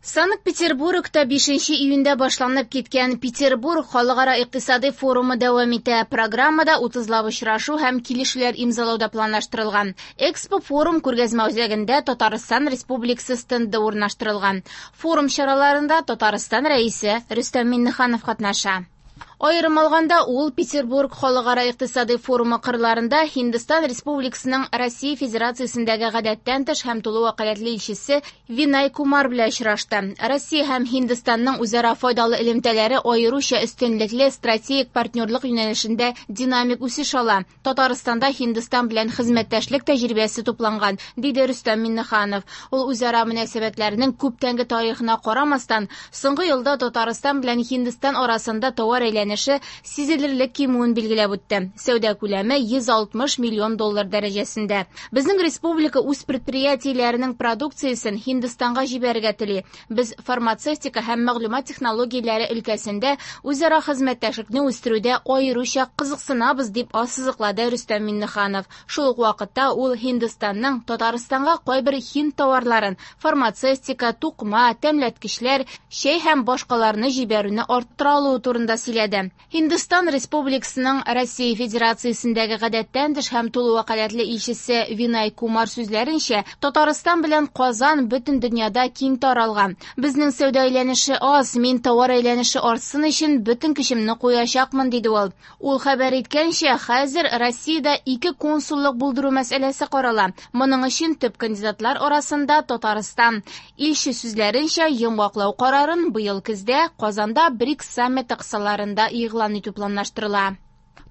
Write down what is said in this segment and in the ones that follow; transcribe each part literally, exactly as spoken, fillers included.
Санкт-Петербургта бишенче июньдә башланып киткән Петербург халыкара икътисади форумы дәвам итә. Программада утызлап очрашу һәм килешүләр имзалау да планлаштырылган. Экспо форум күргәзмә үзәгендә Татарстан Республикасы стенды урнаштырылган. Форум чараларында Татарстан Рәисе Рөстәм Миңнеханов катнаша. Аерым алганда, ул Петербург халыкара икътисади форумы кырларында Һиндстан Республикасының Россия Федерациясендәге гадәттән тыш һәм тулы вәкаләтле илчесе Винай Кумар белән очрашты. Россия һәм Һиндстанның үзара файдалы элемтәләре аеруча өстенлекле стратегик партнерлык юнәлешендә динамик үсеш ала. Татарстанда Һиндстан белән хезмәттәшлек тәҗрибәсе тупланган, диде Рөстәм Миңнеханов. Ул үзара мөнәсәбәтләрнең күптәнге тарихына карамастан, соңгы елда Татарстан белән Һиндстан арасында товар әйләнеше сизелерлек кимүен билгеләп үтте. Сәүдә күләме йөз алтмыш миллион доллар дәрәҗәсендә. Безнең республика үз предприятиеләренең продукциясен Һиндстанга җибәрергә тели. Без фармацевтика һәм мәгълүмат технологияләре өлкәсендә үзара хезмәттәшлекне үстерүдә аеруча кызыксынабыз, дип ассызыклады Рөстәм Миңнеханов. Шул ук вакытта ул Һиндстанның Татарстанга кайбер һинд товарларын, фармацевтика, тукыма, тәмләткечләр, чәй һәм башкаларны җибәрүне арттыра алуы турында сөйләде. Һиндстан Республикасының Россия Федерациясендәге гадәттән тыш һәм тулы вәкаләтле илчесе Винай Кумар сүзләренчә, Татарстан белән Казан бөтен дөньяда киң таралган. Безнең сәүдә әйләнеше аз, мин товар әйләнеше артсын өчен бөтен көчемне куячакмын, диде ул. Ул хәбәр иткәнчә, хәзер Россиядә ике консуллык булдыру мәсьәләсе карала. Моның өчен төп кандидатлар арасында Татарстан. Илче сүзләренчә, йомгаклау карарын быел көздә Казанда БРИКС саммиты кысаларында игълан итү планлаштырыла.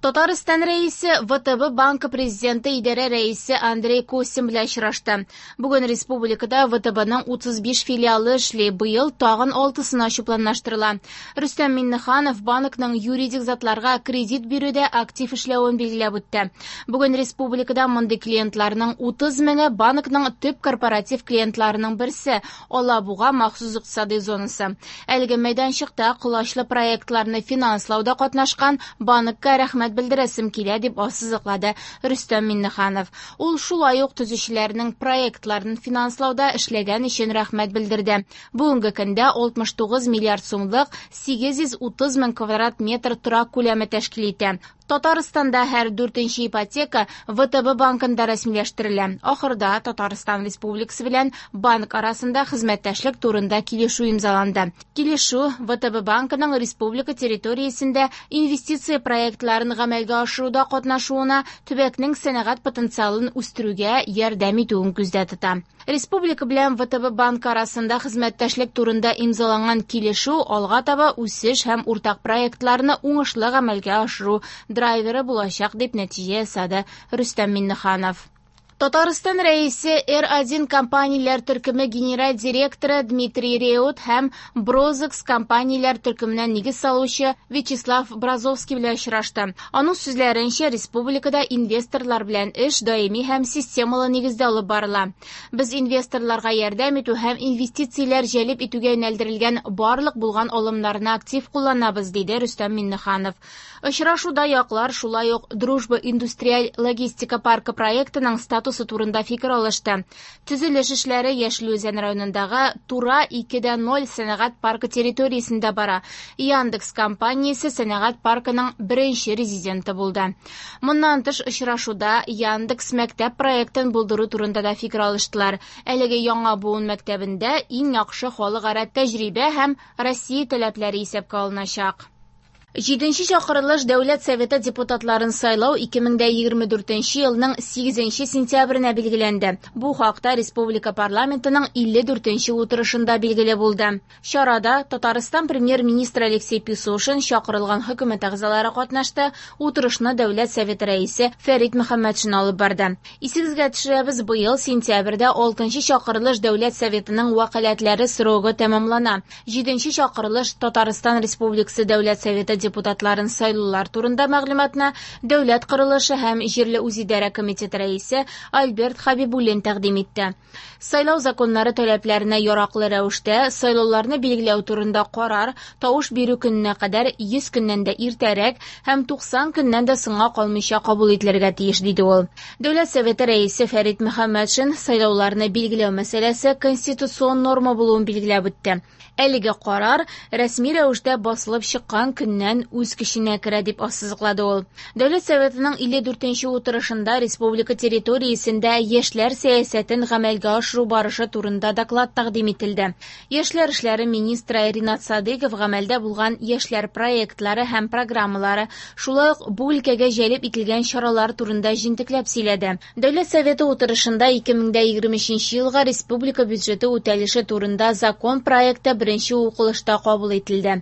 Татарстан Рәисе вэ тэ бэ банкы президенты идарә рәисе Андрей Костин белән очрашты. Бүген республикада вэ тэ бның утыз биш филиалы эшли, быел тагын алтысын ачу планлаштырыла. Рөстәм Миңнеханов банкның юридик затларга кредит бирүдә актив эшләвен билгеләп үтте. Бүген республикада мондый клиентларның утыз меңе банкның төп корпоратив клиентларының берсе Алабуга махсус икътисади зонасы. Әлеге мәйданчыкта колачлы проектларны финанслауда катнашкан банкка рәхмәт белдерәсем килә, дип ассызыклады Рөстәм Миңнеханов. Ул шулай ук төзүчеләрнең проектларын финанслауда эшләгән өчен рәхмәт белдерде. Бүгенге көндә алтмыш тугыз миллиард сумлык сигез йөз утыз мең квадрат метр торак күләме тәшкил итә. Татарстанда һәр дүртенче ипотека вэ тэ бэ банкында рәсмиләштерелә. Ахырда Татарстан Республикасы белән банк арасында хезмәттәшлек турында килешү имзаланды. Килешү вэ тэ бэ банкының республика территориясендә инвестиция проектларын гамәлгә ашыруда катнашуына, төбәкнең сәнәгать потенциалын үстерүгә ярдәм итүен күздә тота. Республика белән вэ тэ бэ банкы арасында хезмәттәшлек турында имзаланган килешү алга таба үсеш һәм уртак проектларны уңышлы гамәлгә ашыру драйверы булачак, дип нәтиҗә ясады Рөстәм Миңнеханов. Татарстан Рәисе эр один компанияләр төркеме генераль директоры Дмитрий Реут һәм Брозекс компанияләр төркеменә нигез салучы Вячеслав Бразовский белән очрашты. Аның сүзләренчә, республикада инвесторлар белән эш даими һәм системалы нигездә алып барыла. Без инвесторларга ярдәм итү һәм инвестицияләр җәлеп итүгә юнәлдерелгән барлык булган алымнарны актив кулланабыз, диде Рөстәм Миңнеханов. Очрашуда яклар шулай ук Дружба индустриаль логистика паркы проектының статусы турында фикер алышты. Төзелеш эшләре Яшел Үзән районындагы Тура ике дә ноль сәнәгать паркы территориясендә бара. Яндекс компаниясе сәнәгать паркының беренче резиденты булды. Моннан тыш очрашуда Яндекс мәктәп проектын булдыру турында да фикер алыштылар. Әлеге яңа буын мәктәбендә иң яхшы халыкара тәҗрибә һәм Россия таләпләре исәпкә алыначак. Җиденче чакырылыш Дәүләт Советы депутатларын сайлау ике мең дә егерме дүртенче елның сигезенче сентябренә билгеләнде. Бу хакта Республика парламентының илле дүртенче утырышында билгеле булды. Чарада Татарстан премьер-министры Алексей Песошин чакырылган хөкүмәт әгъзалары катнашты. Утырышны Дәүләт Советы рәисе Фәрит Мөхәммәтшин алып барды. Исегезгә төшерәбез, быел сентябрьдә алтынчы чакырылыш Дәүләт Советының вәкаләтләре срогы тәмамлана. Җиденче чакырылыш Татарстан Республикасы Дәүләт Советы депутатларын сайлаулар турында мәгълүматны Дәүләт корылышы һәм җирле үзидарә комитеты рәисе Альберт Хәбибуллин тәкъдим итте. Сайлау законнары таләпләренә яраклы рәвештә сайлауларны билгеләү турында карар тавыш бирү көненә кадәр йөз көннән дә иртәрәк һәм туксан көннән дә соңга калмыйча кабул ителергә тиеш, диде ул. Дәүләт Советы рәисе Фәрит Мөхәммәтшин сайлауларны билгеләү мәсьәләсе конституцион норма булуын билгеләп үтте. Әлеге карар рәсми рәвештә басылып чыккан көннән үз көченә керә, дип ассызыклады ул. Дәүләт Советының илле дүртенче утырышында республика территориясендә яшьләр сәясәтен гамәлгә ашыру барышы турында доклад тәкъдим ителде. Яшьләр эшләре министры Ринат Садыйков гамәлдә булган яшьләр проектлары һәм программалары, шулай ук бу өлкәгә җәлеп ителгән чаралар турында җентекләп сөйләде. Дәүләт Советы утырышында ике мең дә егерме өченче елга республика бюджеты үтәлеше турында закон проекты беренче укылышта кабул ителде.